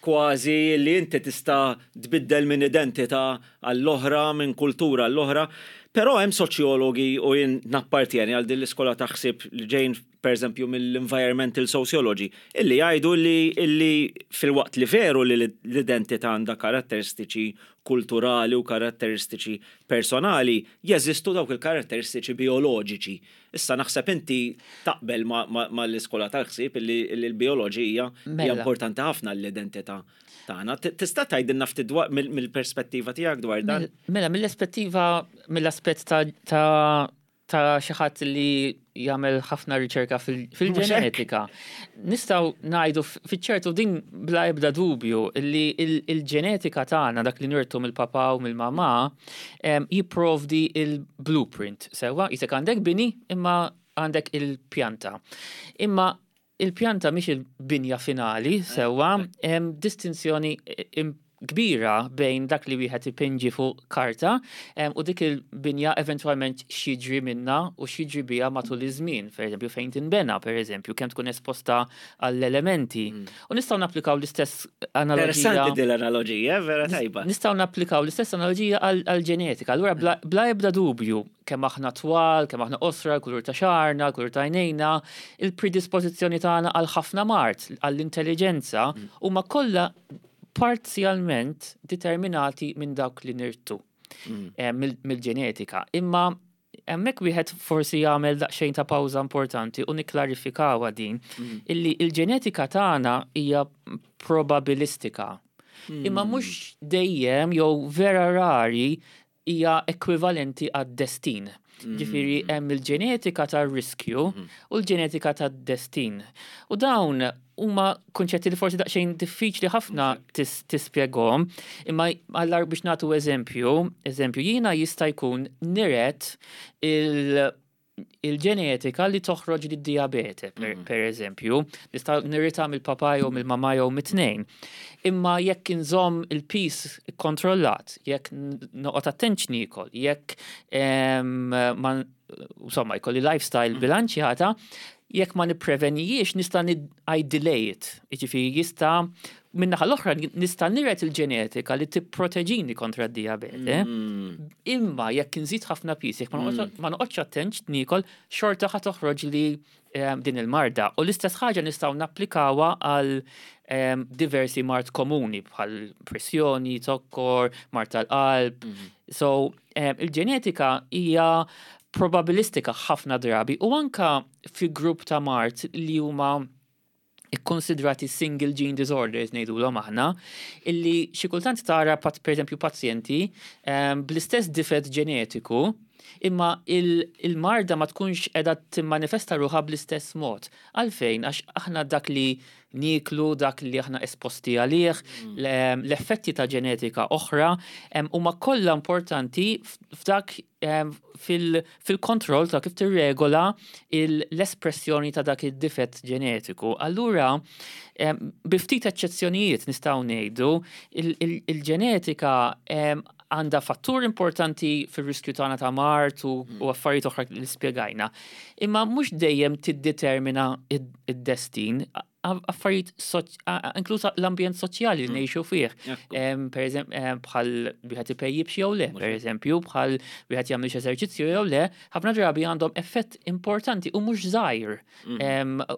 kważi li inti tista' tbiddel minn identità għall-oħra, minn kultura għall-oħra. Però hemm soċjologi u jien nappartjeni għal din l-iskola ta' ħsieb li ġejn pereżempju mill-environmental sociology, illi jgħidu li illi filwaqt li veru li l-identità għandha karatteristiċi kulturali u karatteristiċi personali, jeżistu dawk il-karatteristiċi bijoloġiċi. Issa naħseb inti taqbel mal-iskola tal-ħsieb illi l-bijoloġija hija mela. importanti ħafna l-identità tagħna. Tista' tgħidilna ftit dwar mill-perspettiva tiegħek dwar dan? Mela, mill-perspettiva mill-aspett ta' ta' xi ħadd li jagħmel ħafna riċerka fil-ġenetika. Nistgħu ngħidu fiċ-ċertu din bla ebda dubju li il-ġenetika tagħna dak li nirtu mill-papà u mill-mamà jipprovdi il-blueprint. Sewwa, jisek għandek bini imma għandek il-pjanta. Imma il-pjanta mhix il-binja finali, sewwa, hemm distinzjoni kbira bejn dak li wieħed ipinġi fuq karta u dik il-binja eventwalment x'jiġri minnha u x'jiġri biha matul iż-żmien, pereżempju fejn tinbena, pereżempju, kemm tkun esposta għall-elementi. U nistgħu napplikaw l-istess analogija. Interessanti din l-analogija, vera tajba. Nistgħu napplikaw l-istess analogija għall-ġenetika. Allura bla ebda dubju kemm aħna twal, kemm aħna qosra, l-kulur ta' xagħarna, l-kulur ta' għajnejna, il-predispożizzjoni tagħna għal ħafna mard, għall-intelliġenza, huma kollha parzjalment determinati minn dawk li nirtu mill-ġenetika. Imma hemmhekk wieħed forsi jagħmel daqsxejn ta' pawża importanti u nikklarifikawa din illi il-ġenetika tagħna hija probabilistika. Imma mhux dejjem jew vera rari hija ekwivalenti għad-destin. Ġifieri hemm il-ġenetika tar-riskju u l-ġenetika tad-destin. U dawn huma kunċetti li forsi daqsxejn diffiċli ħafna tispjegahom, imma għallar biex nagħtu eżempju, eżempju jiena jista' jkun niret il- il-ġenetika li toħroġ li diabete, per eżempju, nista' nirita mill-papa jew mill-mama jew mit-tnejn. Imma jekk inżomm il-piż kontrollat, jekk noqgħod attent x'niekol, jekk ma insomma jkolli lifestyle bilanċjata, jekk ma nipprevenijiex nista' I delay it. Jiġifieri jista' min-naħa l-oħra nista' niret il-ġenetika li tipproteġini kontra d-dijabete. Imma jekk inżid ħafna piż, jekk ma noqgħodx attent x'niekol, xorta ħa toħroġ li din il-marda. U l-istess ħaġa nistgħu napplikawha għal diversi mard komuni bħal pressjoni, zokkor, mard tal-qalb. So, il-ġenetika hija probabilistika ħafna drabi u anka fi grupp ta' mard li huma ikkonsidrati single gene disorders ngħidulhom aħna, illi xi kultant tara per eżempju pazjenti bl-istess difett ġenetiku, imma il-marda ma tkunx qiegħda timmanifesta ruħha bl-istess mod. Għalfejn? Għax aħna dak li nieklu, dak li aħna esposti għalih, l-effetti ta' ġenetika oħra huma kollha importanti f'dak fil-kontroll ta' kif tirregola l-espressjoni ta' dak id-difett ġenetiku. Allura, bi ftit eċċezzjonijiet nistgħu ngħidu il-ġenetika għandha fattur importanti fir-riskju tagħna ta' mard u affarijiet oħra li spjegajna. Imma mhux dejjem tiddetermina id-destin, affarijiet inklusa l-ambjent soċjali li ngħixu fih. Per eżempju, bħal wieħed ipejjibx jew le, per eżempju, bħal wieħed jagħmel eżerċizzju jew le, ħafna drabi għandhom effett importanti u mhux żgħir.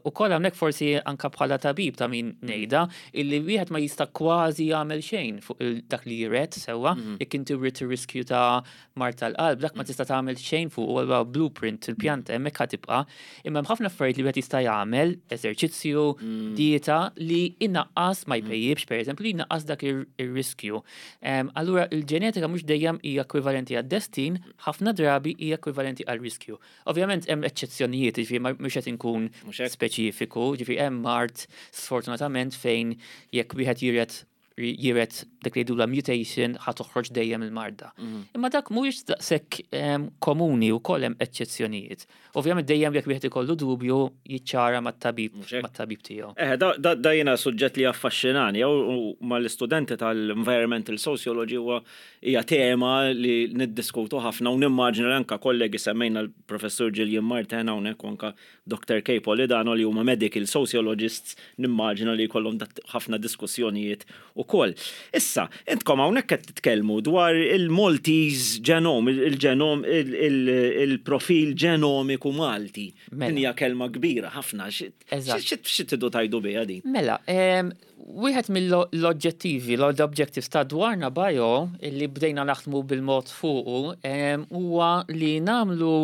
U koll hawnhekk forsi anka bħala tabib ta' min ngħidha illi wieħed ma jista' kważi jagħmel xejn fuq dak li jiret sewwa, jekk inti wrid ir-riskju ta' mard tal-qalb, dak ma tista' tagħmel xejn fuq huwa blueprint il-pjanta hemmhekk ħa tibqa'. Imma hemm ħafna affarijiet li wieħed jista' jagħmel, eżerċizzju, dieta li inaqqas ma jpejjibx pereżempju li jnaqqas dak ir-riskju. Allura il-ġenetika mhux dejjem hija ekwivalenti għad-destin, ħafna drabi hija ekwivalenti għal-riskju. Ovvjament hemm eċċezzjonijiet, jiġifieri mhux qed inkun speċifiku, jiġifieri hemm mard sfortunatament fejn jekk wieħed jiret jiret dak li jgħidulha mutation ħa toħroġ dejjem il-marda. Imma dak mhuwiex daqshekk komuni u koll hemm eċċezzjonijiet. Ovvjament dejjem jekk wieħed ikollu dubju jiċċara mat-tabib mat-tabib tiegħu. Eh, da jiena suġġett li affaxxinani u mal-istudenti tal-environmental sociology huwa hija tema li niddiskutu ħafna u nimmaġina li anka kollegi semmejna l-professur Gillian Martin hawnhekk u anka Dr. Kay Polidano li huma medical sociologists nimmaġina li jkollhom ħafna diskussjonijiet ukoll. Issa, intkom hawnhekk qed titkellmu dwar il-Maltese genome, il-genom, il-profil ġenomiku Malti. Din hija kelma kbira ħafna. Xi tridu tgħidu biha din? Mela, wieħed mill-oġġettivi, l-objectives ta' Dwarna Bio li bdejna naħdmu bil-mod fuqu huwa li nagħmlu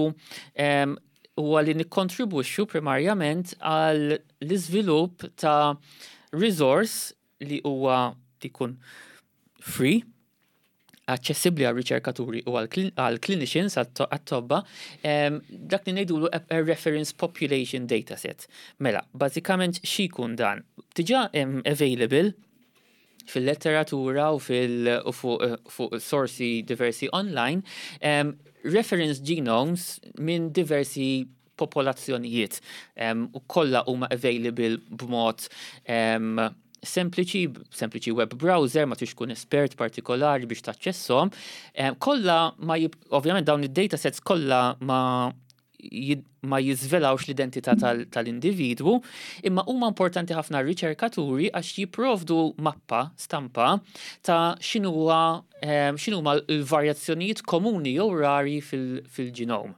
huwa li nikkontribwixxu primarjament għal l-iżvilupp ta' resource li huwa jkun free, aċċessibbli għal riċerkaturi u għal clinicians, għat-tobba, dak li ngħidulu a reference population dataset. Mela, bażikament xi jkun dan? Diġà hemm available fil-letteratura u fuq sorsi diversi online, reference genomes minn diversi popolazzjonijiet u kollha huma available b'mod sempliċi, sempliċi web browser, ma tix tkun espert partikolari biex taċċesshom. Kollha ma ovvjament dawn id-datasets kollha ma jiżvelawx l-identità tal-individwu, imma huma importanti ħafna r-riċerkaturi għax jipprovdu mappa, stampa ta' x'inhuwa x'inhuma l-varjazzjonijiet komuni jew rari fil-ġenom.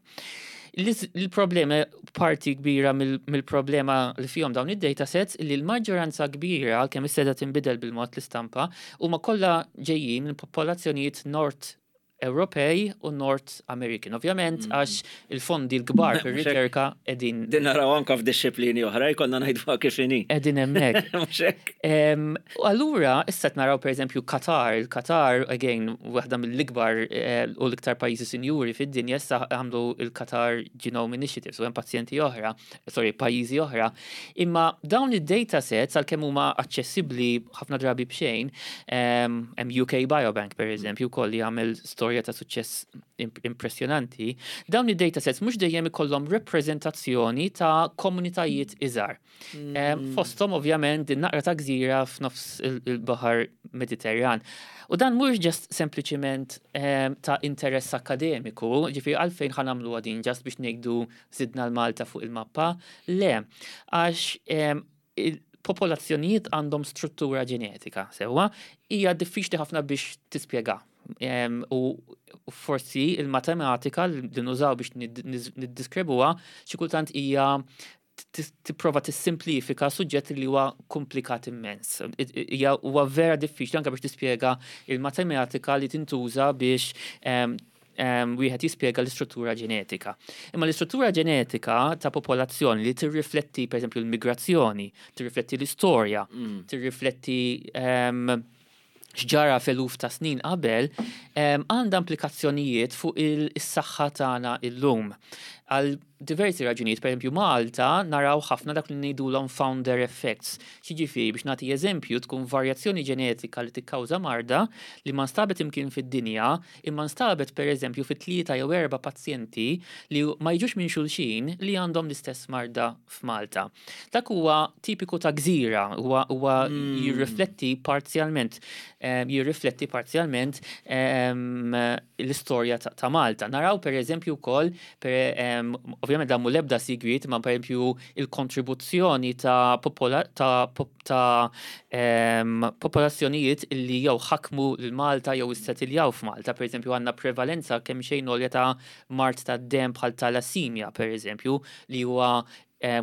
Il-problema, parti kbira mill-problema li fihom dawn id-datasets li l-maġġoranza kbira, għalkemm issa tinbidel bil-mod l-istampa, huma kollha ġejjin minn popolazzjonijiet Nord Ewropej u North American. Ovvjament, għax il-fondi l-kbar fir-riċerka qegħdin. Din naraw anka f'dixxiplini oħra, jkollna ngħidu kif inhi. Qegħdin hemmhekk. Mhux hekk. U allura issa qed naraw pereżempju Qatar, il-Qatar again waħda mill-ikbar u l-iktar pajjiżi sinjuri fid-dinja issa għamlu il-Qatar Genome Initiative, so hemm pazjenti oħra, sorry, pajjiżi oħra. Imma dawn id-data sets għalkemm huma aċċessibbli ħafna drabi b'xejn, hemm UK Biobank pereżempju wkoll li jagħmel storage. storja ta' suċċess impressjonanti, dawn id-datasets mhux dejjem ikollhom rappreżentazzjoni ta' komunitajiet iżgħar. Fosthom ovvjament din naqra ta' gżira f'nofs il-Baħar Mediterran. U dan mhux just sempliċiment ta' interess akademiku, ġifieri għalfejn ħa nagħmluha din just biex ngħidu żidna l-Malta fuq il-mappa, le, għax il-popolazzjonijiet għandhom struttura ġenetika, sewwa, hija diffiċli ħafna biex tispjega. U forsi il-matematika li nużaw biex niddiskribuha xi kultant hija tipprova tissimplifika suġġett li huwa komplikat immens. Hija huwa vera diffiċli anke biex tispjega il-matematika li tintuża biex wieħed jispjega l-istruttura ġenetika. Imma l-istruttura ġenetika ta' popolazzjoni li tirrifletti pereżempju l-migrazzjoni, tirrifletti l-istorja, tirrifletti x'ġara f'eluf ta' snin qabel, għandha implikazzjonijiet fuq is-saħħa tagħna illum. Għal diversi raġunijiet, pereżempju Malta naraw ħafna dak li ngħidulhom founder effects. Xiġifieri biex nagħti eżempju tkun varjazzjoni ġenetika li tikkawża marda li ma nstabet imkien fid-dinja, imma nstabet pereżempju fi tlieta jew erba' pazjenti li ma jiġux minn xulxin li għandhom l-istess marda f'Malta. Dak huwa tipiku ta' gżira, huwa huwa jirrifletti parzjalment jirrifletti parzjalment l-istorja ta' Malta. Naraw pereżempju wkoll ovvjament dan mhu l-ebda sigriet, imma pereżempju il-kontribuzzjoni ta' ta' ta' popolazzjonijiet li jew ħakmu lil Malta jew issetiljaw f'Malta. Pereżempju għandna prevalenza kemm xejn għolja ta' mard tad-demm bħal talassemia pereżempju li huwa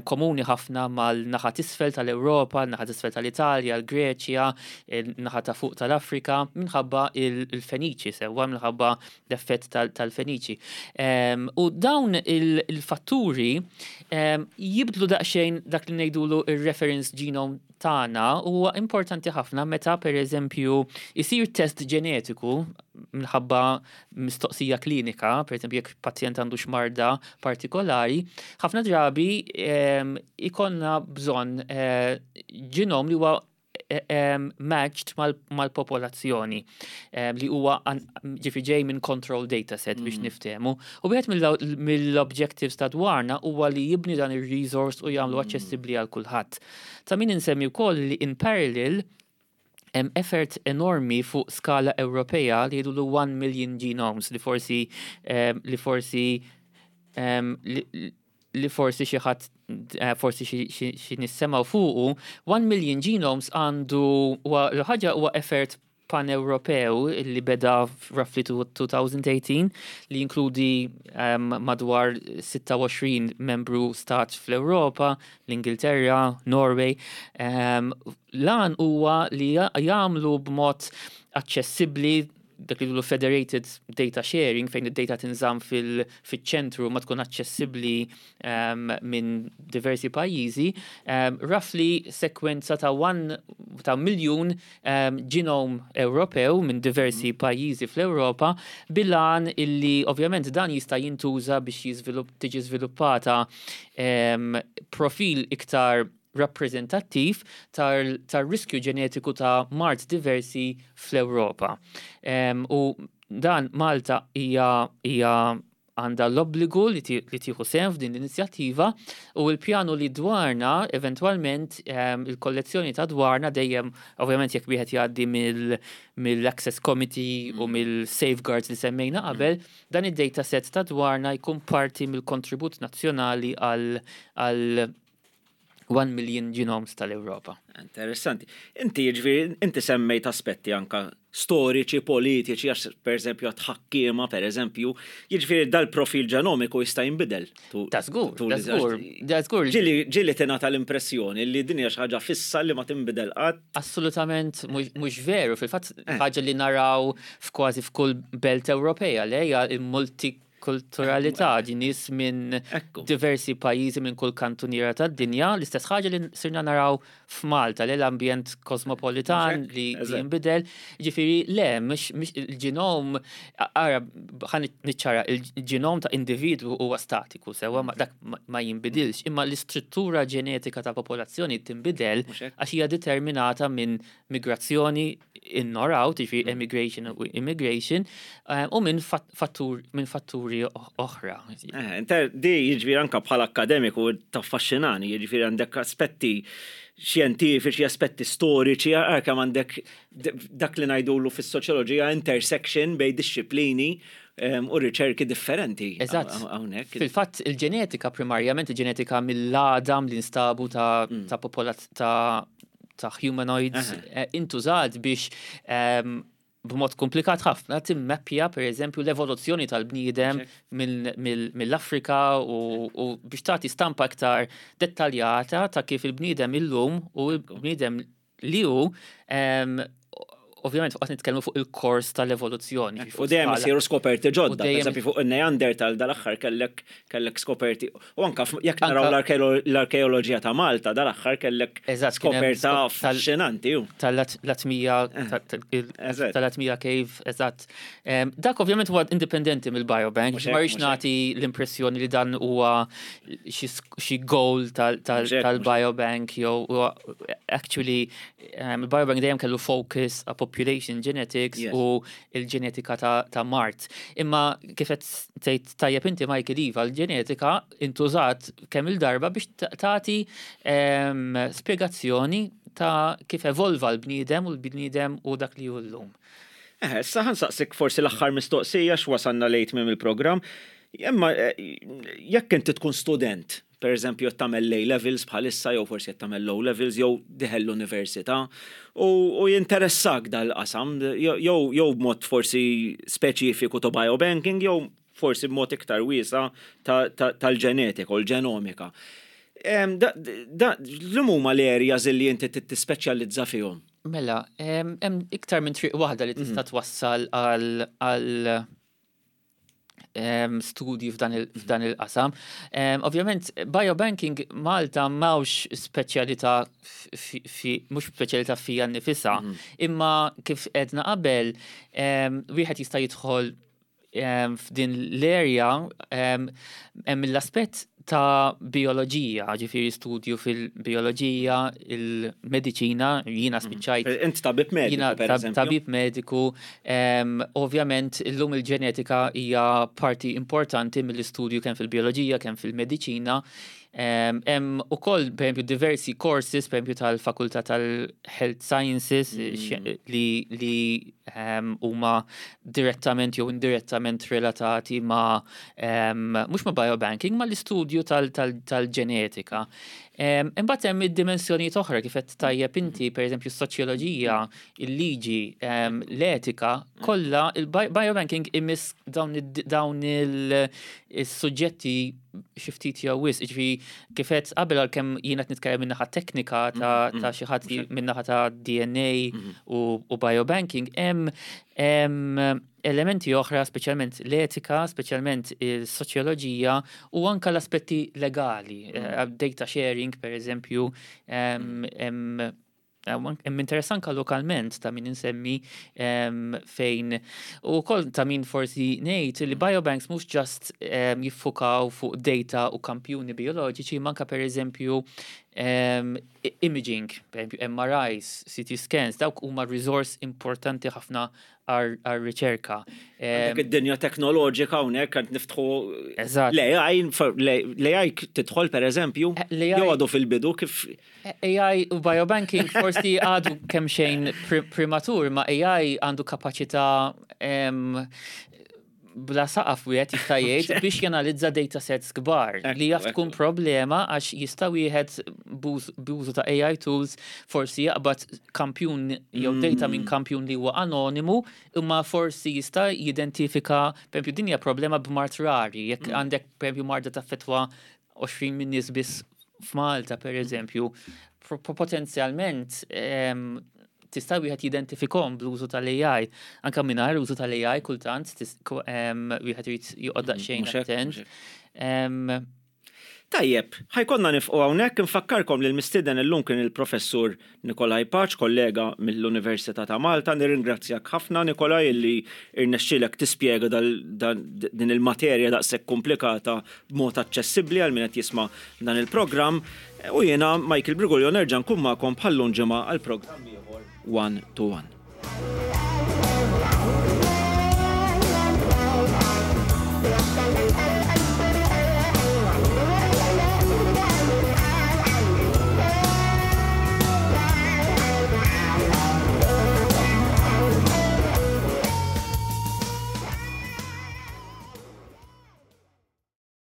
komuni ħafna mal-naħa t'isfel tal-Ewropa, naħa t'isfel tal-Italja, l-Greċja, naħa ta' fuq tal-Afrika, minħabba il-Feniċi sewwa, minħabba l-effett tal-Feniċi. U dawn il-fatturi jibdlu daqsxejn dak li ngħidulu ir-reference genome tagħna huwa importanti ħafna meta pereżempju isir test ġenetiku minħabba mistoqsija klinika, pereżempju jekk pazjent għandu x'marda partikolari, ħafna drabi ikollna bżonn ġenom li huwa matched mal-popolazzjoni li huwa ġifi ġej minn control data set biex niftehmu. U wieħed mill-objectives ta' dwarna huwa li jibni dan ir-resource u jagħmlu aċċessibbli għal kulħadd. Ta' min insemmi wkoll li in parallel hemm effort enormi fuq skala Ewropea li jgħidu 1 million genomes li forsi xi ħadd forsi xi nissemgħu fuqu. 1 million genomes għandu huwa l-ħaġa huwa effort pan-Ewropew li beda roughly 2018 li jinkludi madwar 26 membru stat fl-Ewropa, l-Ingilterra, Norway. Lan huwa li jagħmlu b'mod aċċessibbli dak li federated data sharing, fejn id-data tinżamm fil-ċentru ma tkun aċċessibbli minn diversi pajjiżi, roughly sekwenza ta' one ta' miljun genome Ewropew minn diversi pajjiżi fl-Ewropa, bil-għan illi ovvjament dan jista' jintuża biex tiġi żviluppata profil iktar rappreżentattiv tar-riskju ġenetiku ta' mard diversi fl-Ewropa. U dan Malta hija għandha l-obbligu li tieħu sehem f'din l-inizjattiva u l-pjanu li dwarna eventwalment il-kollezzjoni ta' dwarna, dejjem ovvjament jekk wieħed jgħaddi mill-Access Committee u mill-safeguards li semmejna qabel, dan id-data set ta' dwarna jkun parti mill-kontribut nazzjonali għal 1 million genomes tal-Ewropa. Interessanti. Inti jiġifieri, inti semmejt aspetti anka storiċi, politiċi, għax per eżempju għat-ħakkiema, per eżempju, jiġifieri dal-profil ġenomiku jista' jinbidel. Ta' żgur, ta' żgur, ta' żgur. Ġieli tingħata l-impressjoni li din hija xi ħaġa fissa li ma tinbidel qatt. Assolutament mhux veru, fil-fatt ħaġa li naraw f'kważi f'kull belt Ewropea li hija il-multi. Multikulturalità, ġi nies minn diversi pajjiżi minn kull kantuniera tad-dinja, l-istess ħaġa li sirna naraw f'Malta li l-ambjent kosmopolitan li jinbidel. Ġifieri le, mhux il-ġenom, ara ħa niċċara, il-ġenom ta' individwu huwa statiku, sewwa dak ma jinbidilx, imma l-istruttura ġenetika ta' popolazzjoni tinbidel għax hija determinata minn migrazzjoni in or out, jiġifieri mm. emigration u immigration, eh, u minn fattur, minn fatturi oħra. Eh, inter, di jiġifieri anka bħala akademiku taffaxxinani, jiġifieri għandek aspetti xjentifiċi, aspetti storiċi, kemm għandek dak li ngħidulu fis-soċjoloġija intersection bejn dixxiplini u riċerki differenti. Eżatt. Hawnhekk. Fil-fatt il-ġenetika primarjament il-ġenetika mill-għadam li nstabu ta' mm. ta' popolat ta' ta' humanoids eh, intużat biex ehm, b'mod komplikat ħafna timmeppja per eżempju l-evoluzzjoni tal-bniedem mill-Afrika u biex tagħti stampa aktar dettaljata ta' kif il-bniedem illum u l-bniedem li hu ehm, ovvjament fuq nitkellmu fuq il-kors tal-evoluzzjoni. U dejjem isiru skoperti ġodda, pereżempju fuq il-Neandertal dal-aħħar kellek kellek skoperti. U anka jekk naraw l-arkeoloġija ta' Malta dal-aħħar kellek skoperta affaxxinanti. Tal-Latmija eh, tal-Latmija Cave, eżatt. Dak ovvjament huwa indipendenti mill-biobank, ma rridx nagħti l-impressjoni li dan huwa xi goal tal-biobank jew actually Il-biobank dejjem kellu focus a population genetics u il-ġenetika ta' mard. Imma kif qed tgħid tajjeb inti Michael iva, l-ġenetika intużat kemm il-darba biex tagħti spjegazzjoni ta' kif evolva l-bniedem u l-bniedem u dak li hu llum. Eħe, issa ħa nsaqsik forsi l-aħħar mistoqsija x'wasalna lejn tmiem il-programm. Imma jekk inti tkun student Per eżempju qed tagħmel l-A levels bħalissa jew forsi qed tagħmel l-O levels jew dieħel l-università u jinteressak dal-qasam jew jew b'mod forsi speċifiku ta' biobanking jew forsi b'mod iktar wiesa' tal-ġenetika u l-ġenomika. Liema huma l-areas li inti trid tispeċjalizza fihom? Mela, hemm iktar minn triq waħda li tista' twassal għal studji f'dan il-qasam. Ovvjament, biobanking Malta m'hawnx speċjalità mhux speċjalità fija nnifisha, mhm. imma kif edna qabel, wieħed jista' jidħol f'din l-area hemm l-aspett ta' bioloġija, ġifieri studju fil-bioloġija, il-mediċina, jiena mhm. spiċċajt. Int tabib mediku. Jiena tabib mediku. Ovvjament, illum il-ġenetika hija parti importanti mill-istudju kemm fil-bioloġija, kemm fil-mediċina. Hemm ukoll pereżempju diversi courses, pereżempju tal-Fakultà tal-Health Sciences mm. li li huma direttament jew indirettament relatati ma' mhux ma' biobanking, ma' l-istudju tal-ġenetika. Imbagħad hemm id-dimensjonijiet oħra kif qed tajjeb inti, pereżempju s-soċjoloġija, il-liġi, l-etika, kollha il-biobanking imiss dawn il-suġġetti xi ftit jew wisq, jiġifieri kif għedt qabel għalkemm jiena qed nitkellem min-naħa teknika ta' mm, mm. xi ħadd min-naħa ta' DNA mm-hmm. u biobanking, hemm elementi oħra, speċjalment l-etika, speċjalment il-soċjoloġija u anka l-aspetti legali, mm. eh, data sharing per eżempju, Hemm interess anka lokalment ta' min insemmi fejn u wkoll ta' min forsi ngħid li biobanks mhux just jiffukaw fuq data u kampjuni bioloġiċi imma anka pereżempju imaging, pereżempju MRIs, CT scans, dawk huma riżors importanti ħafna għar-riċerka. Għandek id-dinja teknoloġika hawnhekk qed niftħu l-AI, l-AI tidħol pereżempju, jew għadu fil-bidu kif AI u biobanking forsi għadu kemm xejn prematur, ma AI għandu kapaċità bla saqaf wieħed jista' jgħid biex janalizza data sets kbar li jaf tkun problema għax jista' wieħed b'użu ta' AI tools forsi jaqbad kampjun jew data minn mm. kampjun li huwa anonimu imma forsi jista' jidentifika pereżempju din hija problema b'mard rari jekk mm. għandek pereżempju marda taffettwa 20 min nies biss f'Malta pereżempju potenzjalment tista' wieħed jidentifikhom bl-użu tal-AI. Anke mingħajr użu tal-AI kultant wieħed irid joqgħod daqsxejn attent. Tajjeb, ħa jkollna nifqu hawnhekk, infakkarkom li l-mistieden illum kien il-Professur Nikolai Pace, kollega mill-Università ta' Malta. Nirringrazzjak ħafna Nikolai illi irnexxielek tispjega din il-materja daqshekk komplikata b'mod aċċessibbli għal min qed jisma' dan il-programm. U jiena Michael Briguglio nerġa' nkun magħkom bħal-lum ġimgħa għal programm ieħor One to One.